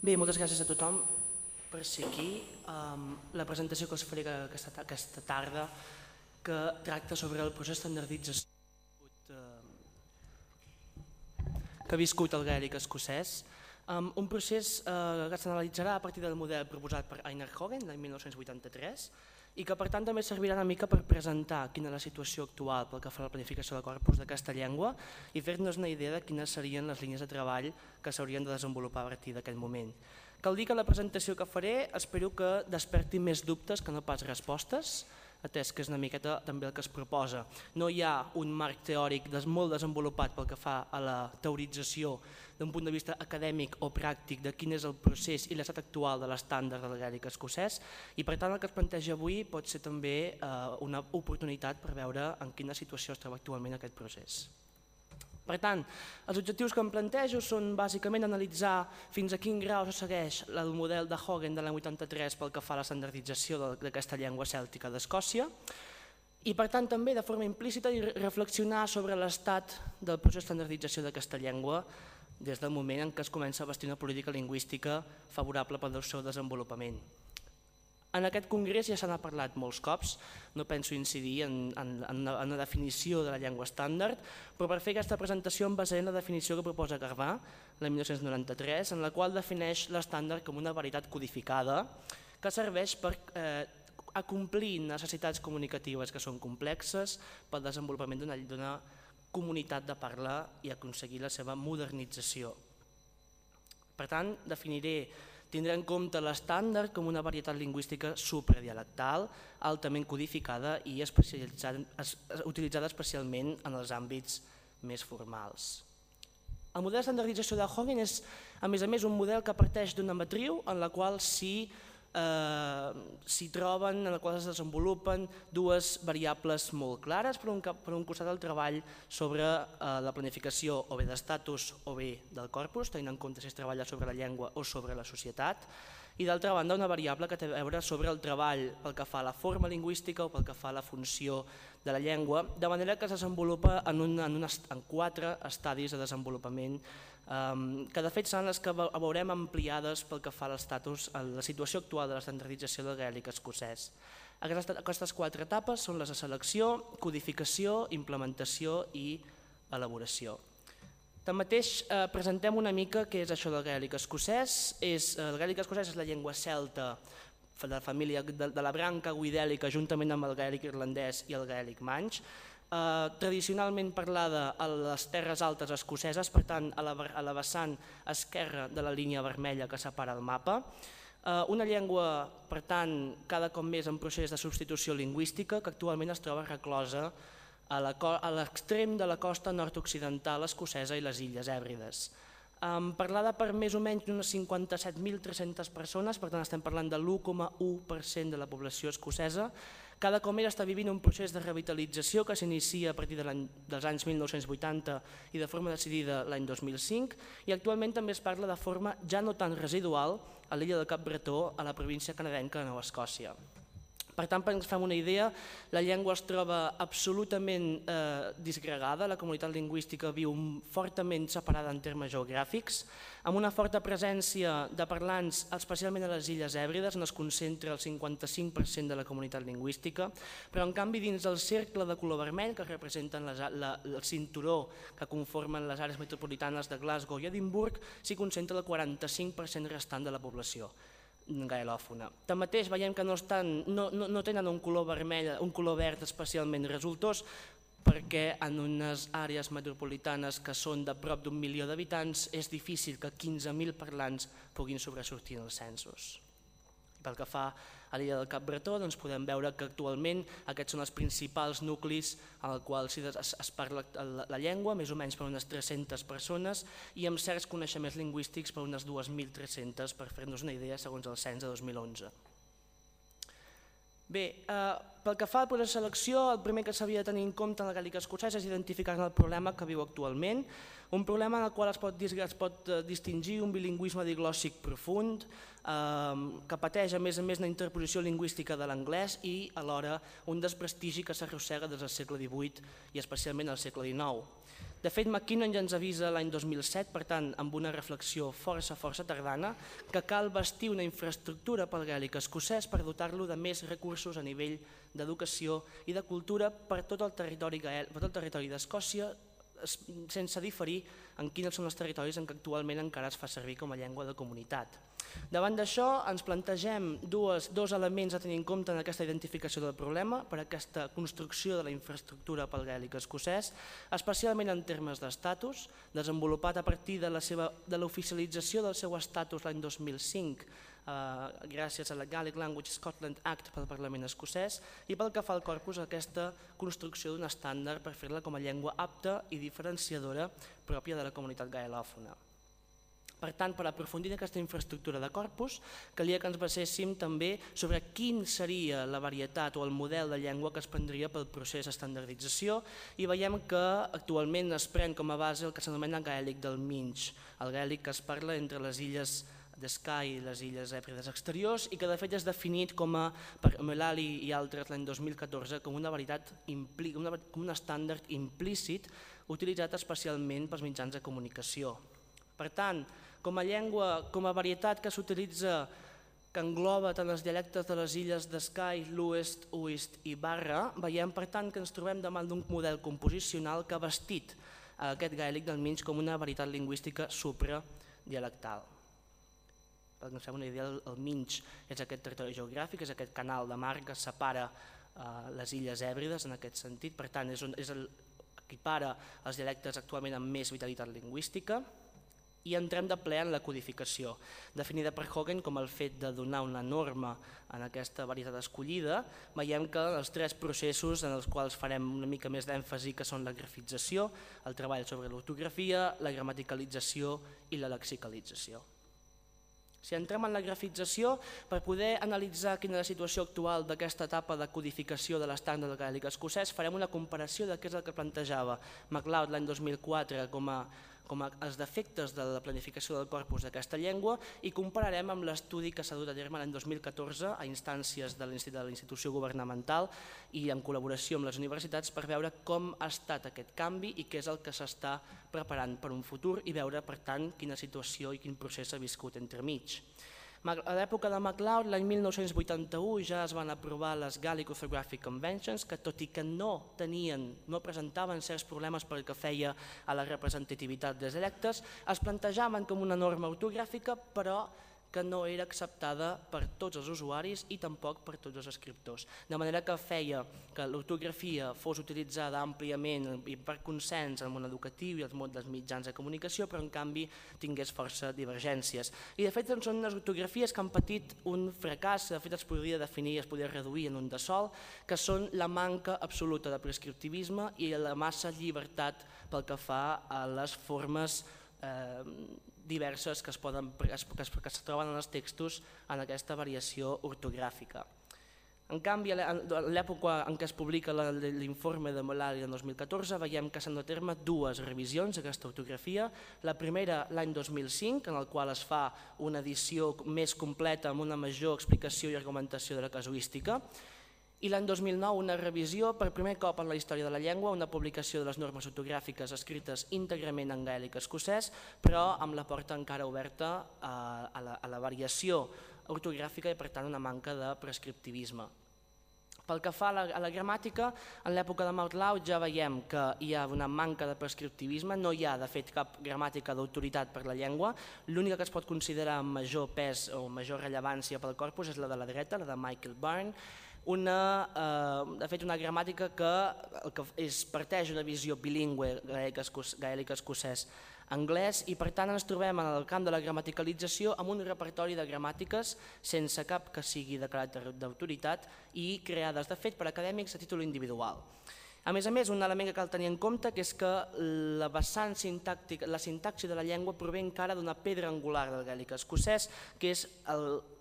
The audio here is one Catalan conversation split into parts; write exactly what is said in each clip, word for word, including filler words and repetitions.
Bé, moltes gràcies a tothom per ser aquí. Um, la presentació que us faré aquesta, aquesta tarda que tracta sobre el procés d'estandardització que ha viscut el gaèlic escocès. Um, un procés uh, que s'analitzarà a partir del model proposat per Einar Hogan l'any mil nou-cents vuitanta-tres i que per tant també servirà una mica per presentar quina és la situació actual pel que fa a la planificació de corpus d'aquesta llengua i fer-nos una idea de quines serien les línies de treball que s'haurien de desenvolupar a partir d'aquest moment. Cal dir que la presentació que faré espero que desperti més dubtes que no pas respostes, atès que és una miqueta també el que es proposa. No hi ha un marc teòric molt desenvolupat pel que fa a la teorització d'un punt de vista acadèmic o pràctic de quin és el procés i l'estat actual de l'estàndard del gaèlic escocès i per tant el que es planteja avui pot ser també una oportunitat per veure en quina situació es troba actualment aquest procés. Per tant, els objectius que em plantejo són bàsicament analitzar fins a quin grau se segueix el model de Hogan de l'any vuitanta-tres pel que fa a l'estandardització d'aquesta llengua cèltica d'Escòcia i per tant també de forma implícita reflexionar sobre l'estat del procés d'estandardització d'aquesta llengua des del moment en què es comença a bastir una política lingüística favorable pel seu desenvolupament. En aquest congrés ja se n'ha parlat molts cops, no penso incidir en, en, en una definició de la llengua estàndard, però per fer aquesta presentació em basaré en la definició que proposa Garbà, l'any mil nou-cents noranta-tres, en la qual defineix l'estàndard com una varietat codificada que serveix per eh, acomplir necessitats comunicatives que són complexes pel desenvolupament d'una comunitat de parla i aconseguir la seva modernització. Per tant, definiré Tindrà en compte l'estàndard com una varietat lingüística supradialectal, altament codificada i utilitzada especialment en els àmbits més formals. El model d'estandardització de Hogan és, a més a més, un model que parteix d'una matriu en la qual s'hi s'hi troben, en la qual es desenvolupen dues variables molt clares. Per un, per un costat el treball sobre eh, la planificació o bé d'estatus o bé del corpus, tenint en compte si es treballa sobre la llengua o sobre la societat, i d'altra banda una variable que té a veure sobre el treball pel que fa a la forma lingüística o pel que fa a la funció de la llengua, de manera que es desenvolupa en, un, en, un, en quatre estadis de desenvolupament um, que de fet seran les que veurem ampliades pel que fa a l'estatus, a la situació actual de l'estandardització del gaèlic escocès. Aquestes, aquestes quatre etapes són les de selecció, codificació, implementació i elaboració. Tanmateix, eh, presentem una mica què és això del gaèlic escocès. És, el gaèlic escocès és la llengua celta de la família de, de la branca guidèlica juntament amb el gaèlic irlandès i el gaèlic manx, eh, tradicionalment parlada a les terres altes escoceses, per tant a la, a la vessant esquerra de la línia vermella que separa el mapa. Eh, una llengua, per tant, cada cop més en procés de substitució lingüística que actualment es troba reclosa a l'extrem de la costa nord-occidental escocesa i les Illes Hèbrides. Um, parlada per més o menys unes cinquanta-set mil tres-centes persones, per tant estem parlant de l'u coma u per cent de la població escocesa. Cada cop més està vivint un procés de revitalització que s'inicia a partir de dels anys mil nou-cents vuitanta i de forma decidida l'any dos mil cinc i actualment també es parla de forma ja no tan residual a l'illa del Cap Bretó, a la província canadenca de Nova Escòcia. Per tant, per ens fem una idea, la llengua es troba absolutament eh, disgregada, la comunitat lingüística viu fortament separada en termes geogràfics, amb una forta presència de parlants, especialment a les Illes Hèbrides, on es concentra el cinquanta-cinc per cent de la comunitat lingüística, però en canvi dins del cercle de color vermell, que representen les, la, el cinturó que conformen les àrees metropolitanes de Glasgow i Edimburg, s'hi concentra el quaranta-cinc per cent restant de la població gaelòfona. Tanmateix veiem que no, estan, no, no, no tenen un color vermell, un color verd especialment resultós perquè en unes àrees metropolitanes que són de prop d'un milió d'habitants és difícil que quinze mil parlants puguin sobresortir en els censos. Pel que fa a l'illa del Cap Bretó, doncs podem veure que actualment aquests són els principals nuclis en els quals es, es parla la llengua, més o menys per unes tres-centes persones i amb certs coneixements lingüístics per unes dues mil tres-centes, per fer-nos una idea segons el cens de dos mil onze. Bé, eh, pel que fa al procés de selecció, el primer que s'havia de tenir en compte en el gaèlic escocès és identificar el problema que viu actualment, un problema en el qual es pot, es pot distingir un bilingüisme diglòssic profund, eh, que pateix a més a més una interposició lingüística de l'anglès i alhora un desprestigi que s'arrossega des del segle divuit i especialment al segle dinou. De fet, McKinnon ja ens avisa l'any dos mil set, per tant, amb una reflexió força, força tardana, que cal bastir una infraestructura pel gàl·lic escocès per dotar-lo de més recursos a nivell d'educació i de cultura per tot el territori d'Escòcia, sense diferir en quins són els territoris en què actualment encara es fa servir com a llengua de comunitat. Davant d'això ens plantegem dos elements a tenir en compte en aquesta identificació del problema per aquesta construcció de la infraestructura pel gàl·lic escocès, especialment en termes d'estatus, desenvolupat a partir de l'oficialització del seu estatus l'any dos mil cinc gràcies a la Gaelic Language Scotland Act pel Parlament escocès i pel que fa al corpus aquesta construcció d'un estàndard per fer-la com a llengua apta i diferenciadora pròpia de la comunitat gaelòfona. Per tant, per aprofundir en aquesta infraestructura de corpus, calia que ens baséssim també sobre quin seria la varietat o el model de llengua que es prendria pel procés d'estandardització i veiem que actualment es pren com a base el que s'anomena gaèlic del Minch, el gaèlic que es parla entre les illes de Skye i les illes Hèbrides exteriors i que de fet és definit com a, per Mullally i altres l'any dos mil catorze com una varietat, com un estàndard implícit utilitzat especialment pels mitjans de comunicació. Per tant, com a llengua, com a varietat que s'utilitza, que engloba tant els dialectes de les illes de Skye, Lwyd, Uist i Barra, veiem per tant que ens trobem davant d'un model composicional que ha bastit aquest gaèlic del Minch com una varietat lingüística supradialectal. Per que ens fem una idea, el Minch és aquest territori geogràfic, és aquest canal de mar que separa les illes Hèbrides en aquest sentit, per tant equipara els dialectes actualment amb més vitalitat lingüística. I entrem de ple en la codificació, definida per Hogan com el fet de donar una norma en aquesta varietat escollida. Veiem que els tres processos en els quals farem una mica més d'èmfasi que són la grafització, el treball sobre l'ortografia, la gramaticalització i la lexicalització. Si entrem en la grafització, per poder analitzar quina és la situació actual d'aquesta etapa de codificació de l'estàndard del gaèlic escocès, farem una comparació de què és el que plantejava MacLeod l'any dos mil quatre com a com els defectes de la planificació del corpus d'aquesta llengua i compararem amb l'estudi que s'ha dut a terme l'any dos mil catorze a instàncies de la institució governamental i en col·laboració amb les universitats per veure com ha estat aquest canvi i què és el que s'està preparant per un futur i veure, per tant, quina situació i quin procés s'ha viscut entremig. A l'època de MacLeod, l'any mil nou-cents vuitanta-u, ja es van aprovar les Gaelic Orthographic Conventions, que tot i que no tenien, no presentaven certs problemes pel que feia a la representativitat dels dialectes, es plantejaven com una norma ortogràfica, però que no era acceptada per tots els usuaris i tampoc per tots els escriptors. De manera que feia que l'ortografia fos utilitzada àmpliament i per consens en el món educatiu i els mitjans de comunicació, però en canvi tingués força divergències. I de fet són unes ortografies que han patit un fracàs, de fet es podria definir i es podria reduir en un de sol, que són la manca absoluta de prescriptivisme i la massa llibertat pel que fa a les formes diverses que es troben en els textos en aquesta variació ortogràfica. En canvi, a l'època en què es publica l'informe de Mullally del dos mil catorze, veiem que s'han dut a terme dues revisions d'aquesta ortografia. La primera l'any dos mil cinc, en el qual es fa una edició més completa amb una major explicació i argumentació de la casuística, i l'any dos mil nou una revisió per primer cop en la història de la llengua, una publicació de les normes ortogràfiques escrites íntegrament en gaèlic escocès, però amb la porta encara oberta a la variació ortogràfica i per tant una manca de prescriptivisme. Pel que fa a la gramàtica, en l'època de MacLeod ja veiem que hi ha una manca de prescriptivisme, no hi ha de fet cap gramàtica d'autoritat per la llengua, l'única que es pot considerar amb major pes o major rellevància pel corpus és la de la dreta, la de Michael Byrne, de fet una gramàtica que parteix d'una visió bilingüe gaèlic escocès anglès i per tant ens trobem en el camp de la gramaticalització amb un repertori de gramàtiques sense cap que sigui de caràcter d'autoritat i creades de fet per acadèmics a títol individual. A més a més, un element que cal tenir en compte que és que la vessant sintàctica, la sintaxi de la llengua prové encara d'una pedra angular del gaèlic escocès, que és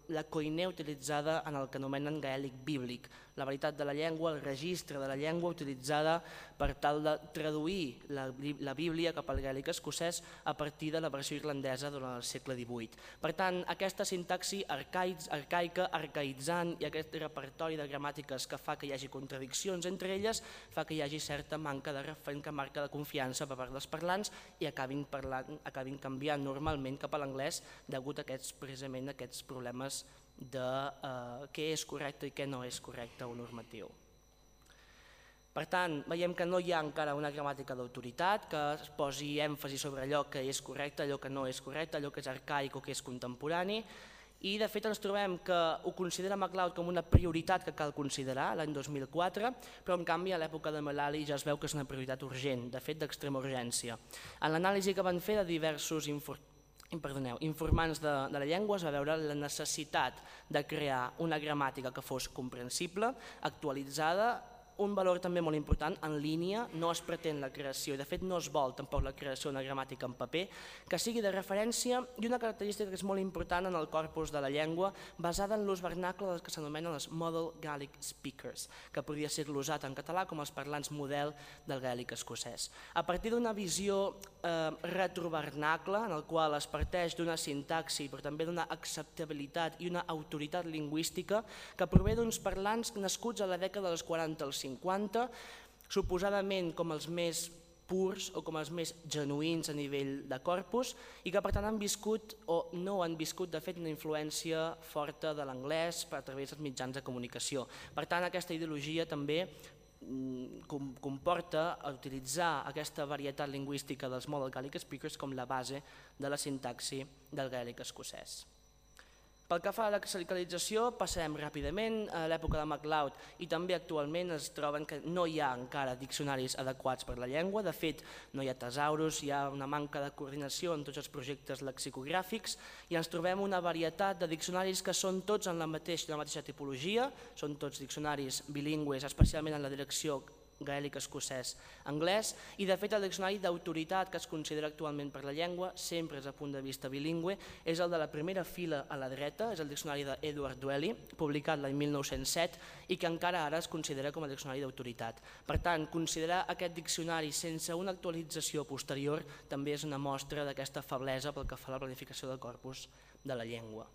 la coinè utilitzada en el que anomenen gaèlic bíblic, la veritat de la llengua, el registre de la llengua utilitzada per tal de traduir la, la Bíblia cap al gaèlic escocès a partir de la versió irlandesa durant el segle divuit. Per tant, aquesta sintaxi arcaica, arcaïtzant i aquest repertori de gramàtiques que fa que hi hagi contradiccions entre elles fa que hi hagi certa manca de referent que marca de confiança per part dels parlants i acabin, parlant, acabin canviant normalment cap a l'anglès degut a aquests, precisament a aquests problemes de eh, què és correcte i què no és correcte o normatiu. Per tant, veiem que no hi ha encara una gramàtica d'autoritat que es posi èmfasi sobre allò que és correcte, allò que no és correcte, allò que és arcaic o que és contemporani, i de fet ens trobem que ho considera MacLeod com una prioritat que cal considerar l'any dos mil quatre, però en canvi a l'època de Mullally ja es veu que és una prioritat urgent, de fet d'extrema urgència. En l'anàlisi que van fer de diversos informes Perdoneu, informants de, de la llengua es va veure la necessitat de crear una gramàtica que fos comprensible, actualitzada, un valor també molt important, en línia, no es pretén la creació, i de fet no es vol tampoc la creació d'una gramàtica en paper, que sigui de referència i una característica que és molt important en el corpus de la llengua, basada en l'ús vernacle dels que s'anomenen els Model Gaelic Speakers, que podria ser glosat en català com els parlants model del gaèlic escocès. A partir d'una visió eh, retrovernacle, en el qual es parteix d'una sintaxi, però també d'una acceptabilitat i una autoritat lingüística que prové d'uns parlants nascuts a la dècada dels quaranta als cinquanta, suposadament com els més purs o com els més genuïns a nivell de corpus i que per tant han viscut o no han viscut de fet una influència forta de l'anglès a través dels mitjans de comunicació. Per tant, aquesta ideologia també comporta utilitzar aquesta varietat lingüística dels Model Gaelic Speakers com la base de la sintaxi del gaèlic escocès. Pel que fa a la clericalització, passarem ràpidament. A l'època de MacLeod i també actualment es troben que no hi ha encara diccionaris adequats per la llengua. De fet, no hi ha tesaurus, hi ha una manca de coordinació en tots els projectes lexicogràfics i ens trobem una varietat de diccionaris que són tots en la mateixa, la mateixa tipologia, són tots diccionaris bilingües, especialment en la direcció gaèlic escocès anglès, i de fet el diccionari d'autoritat que es considera actualment per la llengua, sempre des del punt de vista bilingüe, és el de la primera fila a la dreta, és el diccionari d'Edward Dwelly, publicat l'any mil nou-cents set i que encara ara es considera com a diccionari d'autoritat. Per tant, considerar aquest diccionari sense una actualització posterior també és una mostra d'aquesta feblesa pel que fa a la planificació del corpus de la llengua.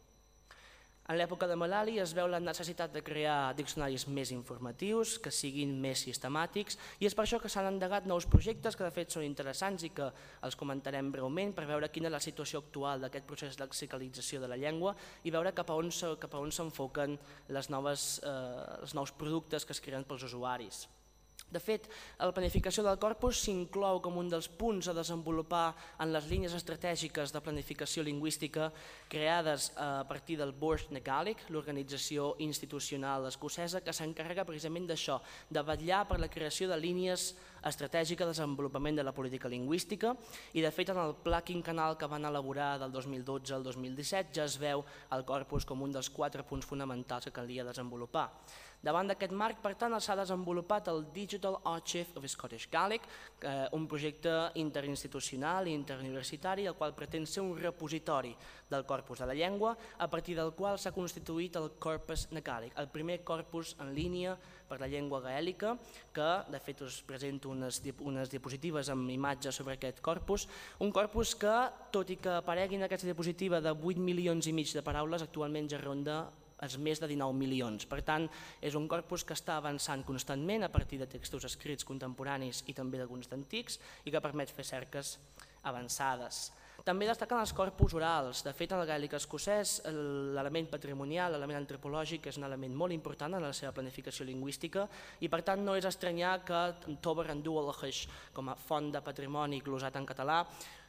En l'època de Mullally es veu la necessitat de crear diccionaris més informatius, que siguin més sistemàtics, i és per això que s'han endegat nous projectes que de fet són interessants i que els comentarem breument per veure quina és la situació actual d'aquest procés de lexicalització de la llengua i veure cap a on s'enfoquen els nous productes que es creen pels usuaris. De fet, la planificació del corpus s'inclou com un dels punts a desenvolupar en les línies estratègiques de planificació lingüística creades a partir del Bord na Gaelic, l'organització institucional escocesa que s'encarrega precisament d'això, de vetllar per la creació de línies estratègiques de desenvolupament de la política lingüística i de fet en el pla quinquennal que van elaborar del dos mil dotze al dos mil disset ja es veu el corpus com un dels quatre punts fonamentals que calia desenvolupar. Davant d'aquest marc, per tant, s'ha desenvolupat el Digital Archive of Scottish Gaelic, un projecte interinstitucional i interuniversitari, el qual pretén ser un repositori del corpus de la llengua, a partir del qual s'ha constituït el Corpus na Gaelic, el primer corpus en línia per la llengua gaèlica, que de fet us presento unes diapositives amb imatges sobre aquest corpus, un corpus que, tot i que aparegui en aquesta diapositiva de vuit milions i mig de paraules, actualment ja ronda els més de dinou milions. Per tant, és un corpus que està avançant constantment a partir de textos escrits contemporanis i també d'alguns d'antics i que permet fer cerques avançades. També destaquen els corpus orals. De fet, en el gaèlic escocès, l'element patrimonial, l'element antropològic és un element molt important en la seva planificació lingüística i per tant no és estranyar que Tober and Dualhach, com a font de patrimoni glosat en català,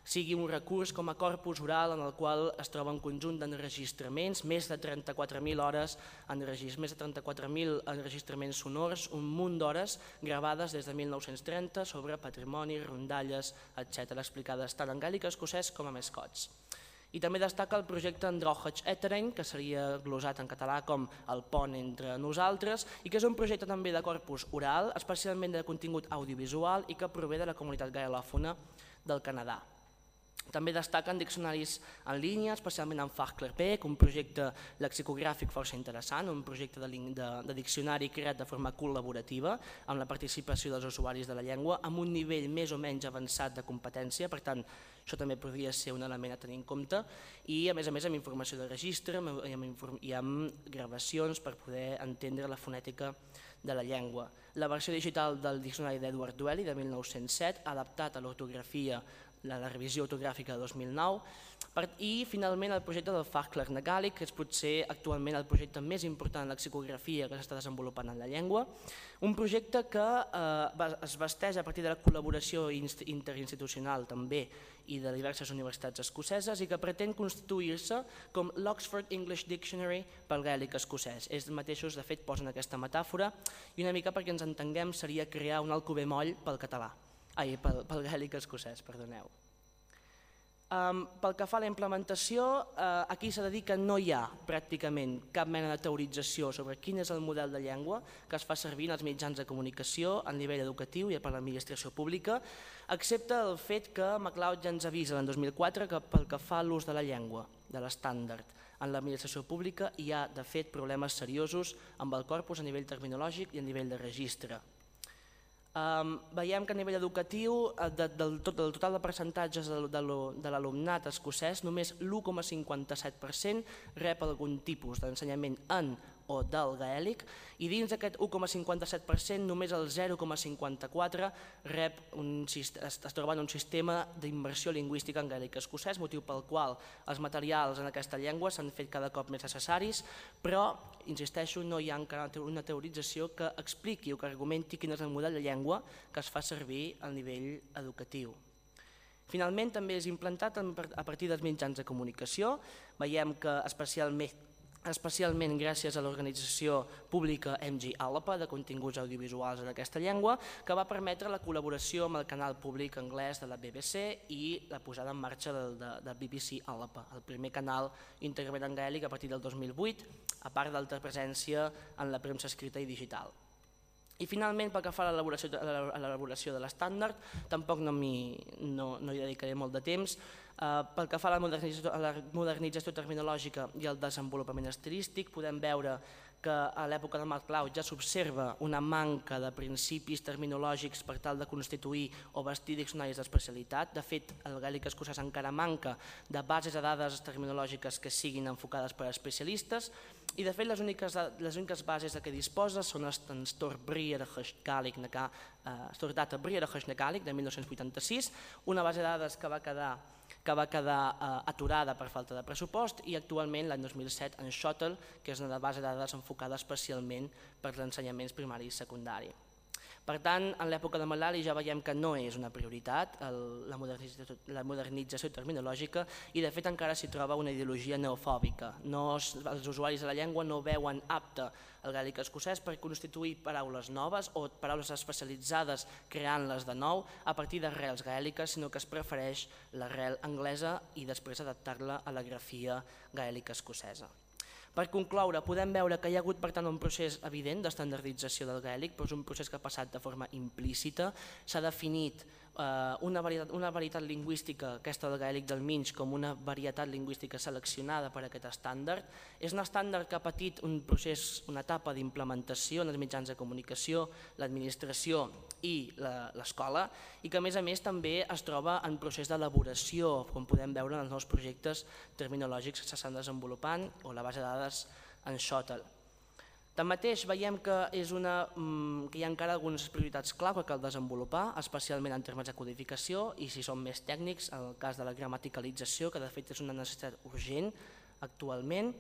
sigui un recurs com a corpus oral en el qual es troba un conjunt d'enregistraments, més de trenta-quatre mil hores, més de trenta-quatre mil enregistraments sonors, un munt d'hores gravades des de mil nou-cents trenta sobre patrimoni, rondalles, etcètera, explicades tant en gaèlic escocès com en scots. I també destaca el projecte Androchach Etereng, que seria glosat en català com el pont entre nosaltres, i que és un projecte també de corpus oral, especialment de contingut audiovisual i que prové de la comunitat gaelòfona del Canadà. També destaquen diccionaris en línia, especialment en Fachklarbeek, un projecte lexicogràfic força interessant, un projecte de, de, de diccionari creat de forma col·laborativa amb la participació dels usuaris de la llengua, amb un nivell més o menys avançat de competència, per tant, això també podria ser un element a tenir en compte, i a més a més amb informació de registre i amb, i amb gravacions per poder entendre la fonètica de la llengua. La versió digital del diccionari d'Edward Dwelly de mil nou-cents set, adaptat a l'ortografia, la, la revisió ortogràfica de dos mil nou, per, i finalment el projecte del Fachklar Gaèlic, que és potser actualment el projecte més important en lexicografia que s'està desenvolupant en la llengua, un projecte que eh, es vesteix a partir de la col·laboració interinstitucional també i de diverses universitats escoceses i que pretén constituir-se com l'Oxford English Dictionary pel gaèlic escocès. Ells mateixos, de fet, posen aquesta metàfora i una mica perquè ens entenguem seria crear un Alcover moll pel català, ai, pel, pel gaèlic escocès, perdoneu. Um, pel que fa a la implementació, uh, aquí s'ha de dir que no hi ha pràcticament cap mena de teorització sobre quin és el model de llengua que es fa servir en els mitjans de comunicació a nivell educatiu i per l'administració pública, excepte el fet que MacLeod ja ens avisa l'any dos mil quatre que pel que fa a l'ús de la llengua, de l'estàndard, en l'administració pública hi ha de fet problemes seriosos amb el corpus a nivell terminològic i a nivell de registre. Um, veiem que a nivell educatiu, de, del, tot, del total de percentatges de, de, de l'alumnat escocès, només l'u coma cinquanta-set per cent rep algun tipus d'ensenyament en o del gaèlic, i dins d'aquest u coma cinquanta-set per cent només el zero coma cinquanta-quatre rep un, es, es troba en un sistema d'immersió lingüística en gaèlic escocès, motiu pel qual els materials en aquesta llengua s'han fet cada cop més necessaris, però, insisteixo, no hi ha encara una teorització que expliqui o que argumenti quin és el model de llengua que es fa servir a nivell educatiu. Finalment, també és implantat a partir dels mitjans de comunicació. Veiem que especialment especialment gràcies a l'organització pública M G ALAPA de continguts audiovisuals en aquesta llengua, que va permetre la col·laboració amb el canal públic anglès de la B B C i la posada en marxa de, de, de B B C ALAPA, el primer canal íntegrament en gaèlic a partir del dos mil vuit, a part d'alta presència en la premsa escrita i digital. I finalment, pel que fa a l'elaboració de l'estàndard, tampoc no, no, no hi dedicaré molt de temps. Uh, pel que fa a la modernització, a la modernització terminològica i el desenvolupament estilístic, podem veure que a l'època de MacLeod ja s'observa una manca de principis terminològics per tal de constituir o vestir diccionaris d'especialitat. De fet, el gaèlic escocès encara manca de bases de dades terminològiques que siguin enfocades per a especialistes i de fet les úniques, les úniques bases de què disposa són els Storbriere-Gaèlic de mil nou-cents vuitanta-sis, una base de dades que va quedar que va quedar eh, aturada per falta de pressupost i actualment l'any dos mil set en Shuttle, que és una base de dades enfocada especialment per als ensenyaments primari i secundari. Per tant, en l'època de Malali ja veiem que no és una prioritat el, la, modernització, la modernització terminològica i de fet encara s'hi troba una ideologia neofòbica. No, els usuaris de la llengua no veuen apte el gaèlic escocès per constituir paraules noves o paraules especialitzades creant-les de nou a partir d'arrels gaèliques, sinó que es prefereix l'arrel anglesa i després adaptar-la a la grafia gaèlica escocesa. Per concloure, podem veure que hi ha hagut per tant un procés evident d'estandardització del gaèlic, però és un procés que ha passat de forma implícita. S'ha definit eh, una, varietat, una varietat lingüística, aquesta del gaèlic del Minx, com una varietat lingüística seleccionada per a aquest estàndard. És un estàndard que ha patit un procés, una etapa d'implementació en els mitjans de comunicació, l'administració i l'escola, i que a més a més també es troba en procés d'elaboració, com podem veure en els nous projectes terminològics que s'estan desenvolupant o la base de dades en Shuttle. Tanmateix veiem que, és una, que hi ha encara algunes prioritats clau que cal desenvolupar, especialment en termes de codificació i si som més tècnics, en el cas de la gramaticalització, que de fet és una necessitat urgent actualment.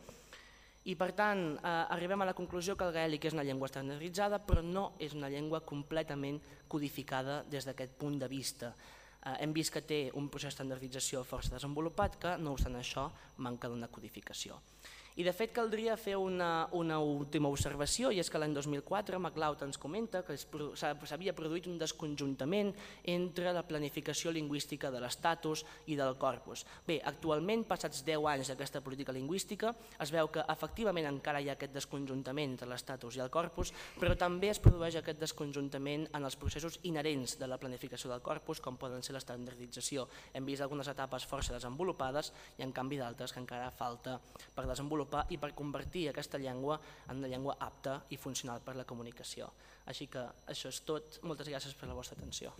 I per tant, eh, arribem a la conclusió que el gaèlic és una llengua estandarditzada, però no és una llengua completament codificada des d'aquest punt de vista. Eh, hem vist que té un procés d'estandardització força desenvolupat que, no obstant això, manca d'una codificació. I de fet caldria fer una, una última observació, i és que l'any dos mil quatre MacLeod ens comenta que s'havia produït un desconjuntament entre la planificació lingüística de l'estatus i del corpus. Bé, actualment, passats deu anys d'aquesta política lingüística, es veu que efectivament encara hi ha aquest desconjuntament entre l'estatus i el corpus, però també es produeix aquest desconjuntament en els processos inherents de la planificació del corpus, com poden ser l'estandardització. Hem vist algunes etapes força desenvolupades i en canvi d'altres que encara falta per desenvolupar i per convertir aquesta llengua en una llengua apta i funcional per a la comunicació. Així que això és tot. Moltes gràcies per la vostra atenció.